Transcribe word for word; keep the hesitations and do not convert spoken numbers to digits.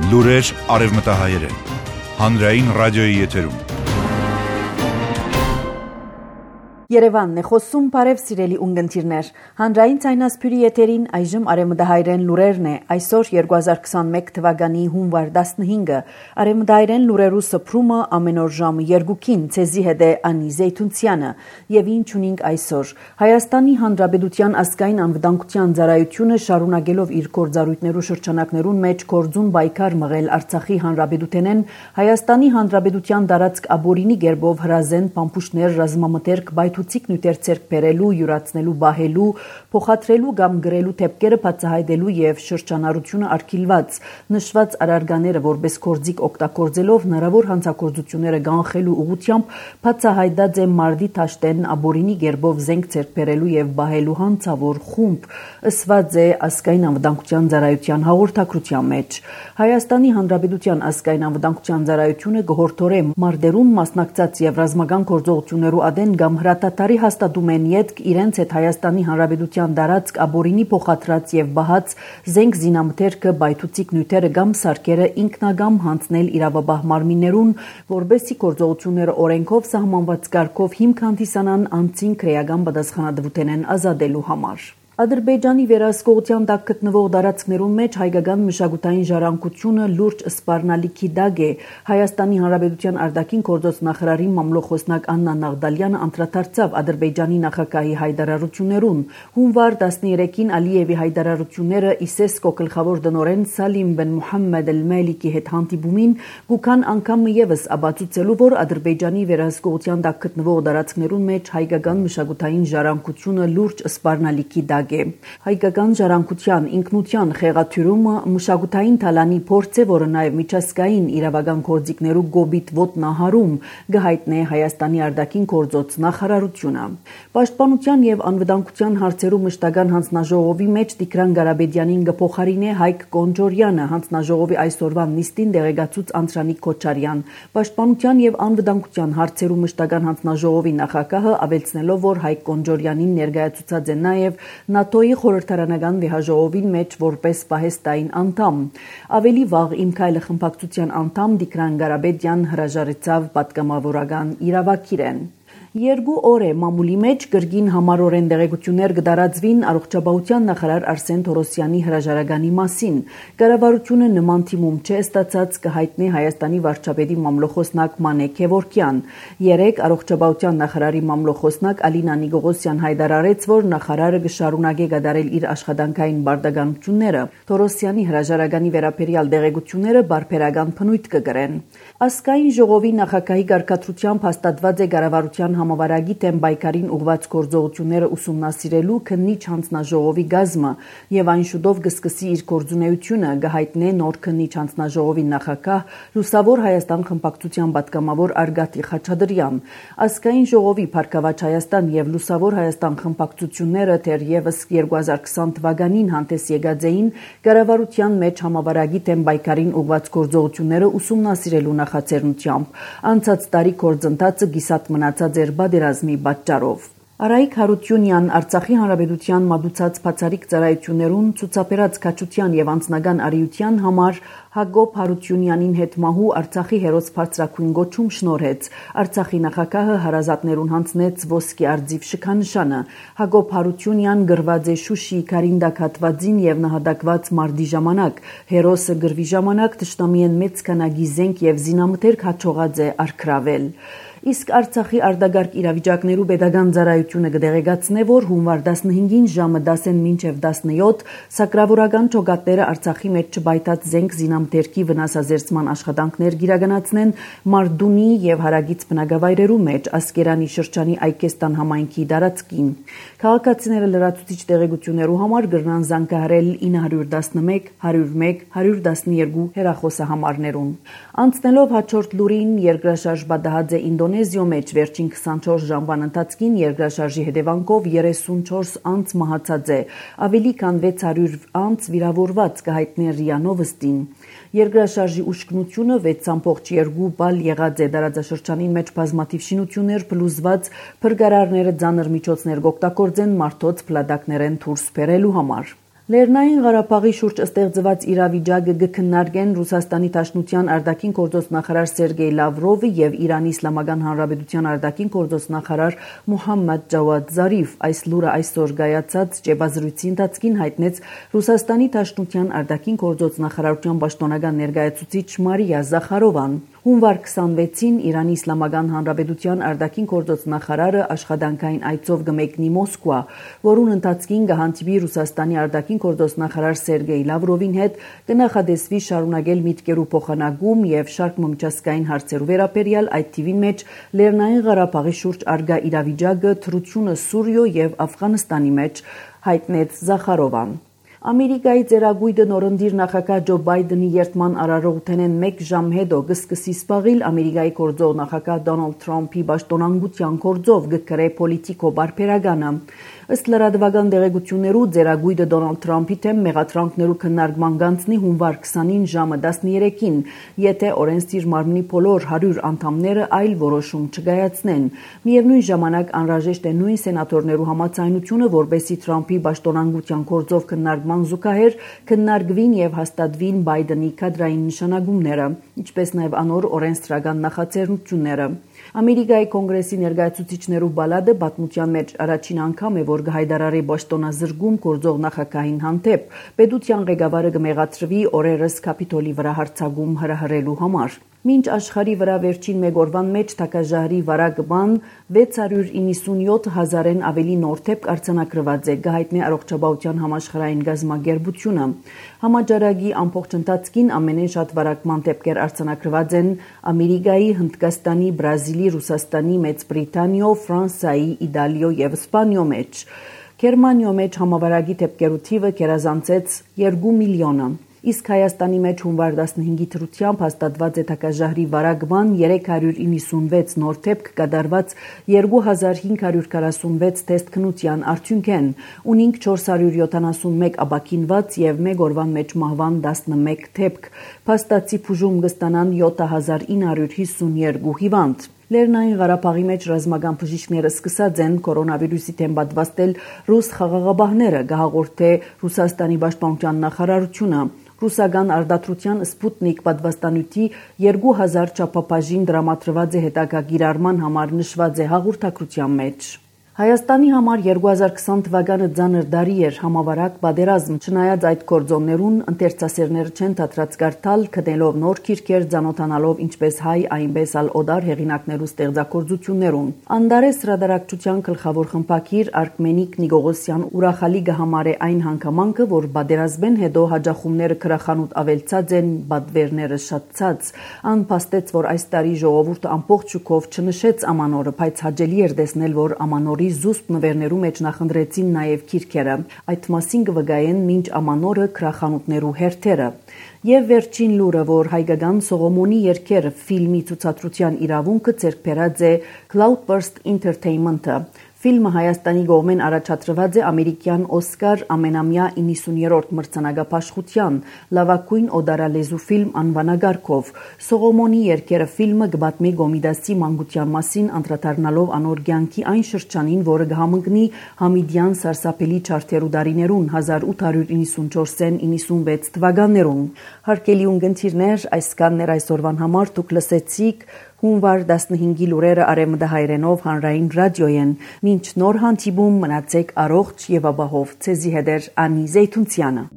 Լուրեր արևմտահայերեն։ Հանրային ռադիոյի եթերում։ Երևանն է խոսում, բարև սիրելի ունգընտիրներ։ Հանրային ցայնասփյուրի եթերին այժմ արևմտահայերեն լուրերն է։ Այսօր երկու հազար քսանմեկ թվականի հունվար տասնհինգը արևմտահայերեն լուրերու սփռումը ամեն օր ժամը երկուքին ցեզի հետ է Անի Զեյթունցյանը եւ ինչ ունենք այսօր։ Հայաստանի Հանրապետության ազգային անվտանգության ծառայությունը շարունակելով իր գործառույթներու շրջանակներուն մեջ կորձուն պայքար մղել Արցախի Հանրապետութենեն Հայաստանի Հանրապետության տարածք աբորինի գերբով հրազեն պամփուշտներ ռազմամթերք ցիկ նյութեր ցերկ բերելու, յուրացնելու, բահելու, փոխադրելու կամ գրելու թեփքերը բացահայտելու եւ շրջանառությունը արգելված նշված արարկաները որպես կորձիկ օգտագործելով հնարավոր հանցագործությունները կանխելու ուղղությամբ բացահայտած է մարտի Թաշտեն աբորինի գերբով զենք ցերկ բերելու եւ բահելու հանցավոր խումբ ըսված է ազգային անվտանգության ծառայության հաղորդակցության մեջ Հայաստանի Հանրապետության ազգային անվտանգության ծառայությունը գորթորե մարտերուն մասնակցած եւ ռազմական գործողություններու ադեն կամ Հրատատարի հաստատում են ետք իրենց հետ Հայաստանի Հանրապետության տարածք աբորինի փոխադրած եւ բահած զենք զինամթերքը բայթուցիկ նյութերը կամ սարքերը ինքնագամ հանձնել իրավաբահ մարմիններուն, որբեսի գործողությունները օրենքով սահմանված կարգով հիմք հանդիսանան անցին քրեական պատասխանատվություն ազատելու համար։ Ադրբեջանի վերահսկողության տակ գտնվող տարածքներուն մեջ հայկական մշակութային ժառանգությունը լուրջ սպառնալիքի տակ է։ Հայաստանի Հանրապետության արտաքին գործոց նախարարի մամլոխոսնակ Աննա Նաղդալյանը անդրադարձավ Ադրբեջանի նախագահի հայտարարություններուն։ Հունվար տասներեքին Ալիևի հայտարարությունները ԻՍԵՍԿՕ գլխավոր տնօրեն Սալիմ բեն Մուհամմեդ Էլ-Մելիքի հետ հանդիպումին գուքան անգամ եւս աբացուցելու, որ Ադրբեջանի վերահսկողության տակ գտնվող տարածքներուն մեջ հայկական մշակութային ժառանգությունը լուրջ սպառնալիքի տակ Հայկական ժառանգության ինքնության խեղաթյուրումը մշակութային թալանի փորձ է, որը նաև միջազգային իրավական գործիքներու գոբիտ ոտնահարում գահիտնե Հայաստանի արտաքին գործոց նախարարությունը։ Պաշտպանության եւ անվտանգության հարցերու մշտական հանձնաժողովի մեջ Տիգրան Ղարաբեդյանին գփոխարինե Հայկ Կոնջորյանը հանձնաժողովի այսօրվա նիստին դեղեկացուց Անտրանիկ Քոչարյան։ Պաշտպանության եւ անվտանգության հարցերու մշտական հանձնաժողովի նախագահը ավելցնելով, որ Հայկ Կոնջորյանին ներկայացուցած է նաև ՆԱՏՕ-ի խորհրդարանական վեհաժողովին մեջ որպես պահեստային անդամ։ Ավելի վաղ Իմ քայլը խմբակցության անդամ Տիգրան Ղարաբեդյան հրաժարեցավ պատգամավորական իրավակիրեն։ Երկու օր է մամուլի մեջ գրգին համառորեն դեղեցություններ կդարածվին առողջապահության նախարար Արսեն Թորոսյանի հրաժարականի մասին։ Կառավարությունը նման թիմում չէ ստացած կհայտնի Հայաստանի վարչապետի մամլոխոսնակ Մանե Քևորքյան։ Երեք առողջապահության նախարարի մամլոխոսնակ Ալինա Նիգողոսյան հայտարարեց, որ նախարարը կշարունակի կատարել իր աշխատանքային բարդականությունները։ Թորոսյանի հրաժարականի վերաբերյալ դեղեցությունները բարբերական բնույթ կգրեն։ Ազգային ժողովի նախագահի կարգադրությամբ հաստատված է կառավարության համավարակի դեմ պայքարին ուղղված գործողությունները ուսումնասիրելու քննիչ հանձնաժողովի գազմը եւ այն շուտով կսկսի իր գործունեությունը գահիտնե նոր քննիչ հանձնաժողովի նախագահ Լուսավոր Հայաստան խմբակցության պատգամավոր Արգատի Խաչատրյան։ Ազգային ժողովի Փառքավաճ Հայաստան եւ Լուսավոր Հայաստան խմբակցությունները թերևս երկու հազար քսան թվականին հանդես եկած էին կառավարության մեջ համավարակի դեմ պայքարին ուղղված գործողությունները ուսումնասիրելու նախաձեռնությամբ։ Անցած տարի գործընթացը գիսատ մնացած էր բادرազմի պատճառով։ Արայիկ Հարությունյան Արցախի Հանրապետության մատուցած բացառիկ ծառայություններուն ցուցաբերած քաջության եւ անձնական արիության համար Հակոբ Հարությունյանին հետ մահու Արցախի հերոս բարձրակույն գոչում շնորհեց։ Արցախի նախագահը հարազատներուն հանձնեց ոսկի արձիվ շքանշանը։ Հակոբ Հարությունյան գրված է Շուշի Կարինդակ հատվածին եւ նահատակված մարտի ժամանակ։ Հերոսը գրվի ժամանակ թշնամիեն մեծ քանակի զենք եւ զինամթերք հաջողած է արգրավել։ Իսկ Արցախի արտագարկ իրավիճակներու pedagogan ծառայությունը կդեղեկացնե, որ հունվար տասնհինգին ժամը դասեն մինչև տասնյոթ սակրավորական ճոգատները Արցախի մեջ չբայթած զենք զինամթերքի վնասազերծման աշխատանքներ գիրականացնեն Մարդունի եւ հարագից բնակավայրերու մեջ Ասկերանի շրջանի Այկեստան համայնքի տարածքին։ Քաղաքացիները լրացուցիչ տեղեկություններու համար գրնան զանգահարել ինը հարյուր տասնմեկ, հարյուր մեկ, հարյուր տասնյոթ հեռախոսահամարներուն։ Անցնելով հաջորդ լուրին երկրաշարժ պատահած է Ինդոնեզիո մեջ վերջին քսանչորս ժամվան ընթացքին երկրաշարժի հետևանքով երեսունչորս անձ մահացած է, ավելի քան վեց հարյուր անձ վիրավորված կհայտնի ՌԻԱ Նովոստին։ Երկրաշարժի ուշքնությունը վեց ցամփողջ երկու բալ եղած է դարաձաշրջանին մեջ բազմաթիվ շինություններ փլուզված փրկարարները ծանր միջոցներ կօգտագործեն մարդոց փլատակներեն դուրս բերելու համար։ Լեռնային Ղարաբաղի շուրջ ստեղծված իրավիճակը կքննարկեն Ռուսաստանի Դաշնության արտաքին գործոստ նախարար Սերգեյ Լավրովը եւ Իրանի Իսլամական Հանրապետության արտաքին գործոստ նախարար Մոհամմադ Ջավադ Զարիֆ։ Այս լուրը այսօր կայացած ճեպազրույցի ընթացքին հայտնեց Ռուսաստանի Դաշնության արտաքին գործոստ նախարարության պաշտոնական ներկայացուցիչ Մարիա Զախարովան։ Հունվար քսանվեցին Իրանի Իսլամական Հանրապետության արտաքին գործոստ նախարարը աշխատանքային այցով կմեկնի Մոսկվա, որուն ընթացքին կհանդիպի Ռուսաստանի արտաքին գործոստ նախարար Սերգեյ Լավրովին հետ, կնախադեсվի շարունակել միտքերու փոխանակում եւ շարք միջազգային հարցերու վերաբերյալ այդ թիվին մեջ Լեռնային Ղարաբաղի շուրջ արգա իրավիճակը, թռությունը Սուրիո եւ Աֆղանստանի մեջ, հայտնեց Զախարովան։ Ամերիկայի ծերագույդը նորընտիր նախագահ Ջո Բայդենի երթման արարողութենեն մեկ ժամ հետո կսկսի սպաղիլ Ամերիկայի գործող նախագահ Դոնալդ Թրամփի պաշտոնանկության գործով կգրե պոլիտիկո բարբերականը։ Ըստ լրատվական տեղեկություններու ծերագույդը Դոնալդ Թրամփի թեմ մեղադրանքներու քննարկման գանձնի հունվար քսանին ժամը տասներեքին, եթե օրենսդիր մարմնի բոլոր հարյուր անդամները այլ որոշում չկայացնեն։ Միևնույն ժամանակ անհրաժեշտ է նույն սենատորներու համաձայնությունը, որպեսզի Թրամփի պաշտոնանկության գործով քննարկման զուգահեռ քննարկվին եւ հաստատվին Բայդենի կադրային նշանակումները, ինչպես նաեւ անոր օրենսդրական նախաձեռնությունները։ Ամերիկայի կոնգրեսի ներկայացուցիչներու բալադը պատմության մեջ առաջին անգամ է, որ կհայտարարի պաշտոնազրկում գործող նախագահին հանդեպ։ Պետության ղեկավարը կմեղադրվի օրերս Կապիտոլի վրա հարձակում հրահրելու համար։ Մինչ աշխարհի վրա վերջին մեկ օրվան մեջ թակաժահրի վարակ բան վեց հարյուր իննսունյոթ հազարեն ավելի նոր դեպք արձանագրված է, գահիտնի առողջապահության համաշխարհային գազագերբությունը։ Համաճարակի ամբողջ ընթացքին ամենեն շատ վարակման դեպքեր արձանագրված են Ամերիկայի, Հնդկաստանի, Բրազիլի, Ռուսաստանի, Մեծ Բրիտանիո, Ֆրանսիայի, Իտալիո եւ Իսպանիո մեջ։ Գերմանիո մեջ համավարակի դեպքերու թիվը գերազանցեց երկու միլիոնը։ Իսկ Հայաստանի մեջ հունվար տասնհինգի թրությամբ հաստատված է թակաժահրի վարակման երեք հարյուր իննսունվեց նոր դեպք կատարված երկու հազար հինգ հարյուր քառասունվեց տեստ քննության արդյունքեն, ունինք չորս հարյուր յոթանասունմեկ ապաքինված եւ մեկ օրվան մեջ մահվան տասնմեկ դեպք, փաստացի բուժում կստանան յոթ հազար ինը հարյուր հիսունյոթ հիվանդ։ Լեռնային Ղարաբաղի մեջ ռազմական բժիշկները սկսած են կորոնավիրուսի դեմ պատվաստել ռուս խաղաղապահները, գահաղորդե Ռուսաստանի պաշտպանության նախարարությունը։ Ռուսական արտադրության Սպուտնիկ պատվաստանյութի երկու հազար չափաբաժին դրամատրված է հետագա կիրառման համար նշված է հաղորդակցության մեջ։ Հայաստանի համար երկու հազար քսան թվականը ծանր տարի էր, համավարակ պատերազմ, չնայած այդ գործոններուն ընթերցասերները չեն դադրած կարդալ, գտնելով նոր քիրքեր, ծանոթանալով ինչպես հայ, այնպես ալ օտար հեղինակներու ստեղծագործություններուն։ Անդարես հրատարակչության գլխավոր խմբագիր Արկմենիկ Նիկողոսյան ուրախալի կհամարե այն հանգամանքը, որ պատերազմեն հետո հաջախումները քրախանութ ավելցած են, բադվերները շատցած։ Ան փաստեց, որ այս տարի ժողովուրդը ամբողջ շուկով չնշեց ամանորը, բայց հաճելի էր տեսնել, որ ամանորի զուսպ նվերներու մեջ նախընտրեցին նաև քիրքերը։ Այդ մասին կվգայեն մինչ ամանորը քրախանութներու հերթերը։ Եվ վերջին լուրը, որ հայկական Սողոմոնի երգերը ֆիլմի ցուցադրության իրավունքը ձեռք բերած է Cloudburst Entertainment-ը։ Ֆիլմը Հայաստանի կողմեն առաջադրված է ամերիկյան Օսկար ամենամյա իննսուներորդ մրցանակապաշխության լավագույն օդարալեզու ֆիլմ անվանակարգով։ Սողոմոնի երգերը ֆիլմը կպատմի Գոմիդասի մանկության մասին, անդրադառնալով անոր կյանքի այն շրջանին, որը կհամընկնի Համիդյան սարսափելի չարթերու դարիներուն հազար ութ հարյուր իննսունչորսեն իննսունվեց թվականներուն։ Հարգելի ունկնդիրներ, այսքանն էր այսօրվան համար, դուք լսեցիք հունվար տասնհինգի լուրերը արևմտահայերենով հանրային ռադիոյեն։ Մինչ նոր հանդիպում մնացեք առողջ եւ ապահով։ Ցեզի հետ էր Անի Զեյթունցյանը։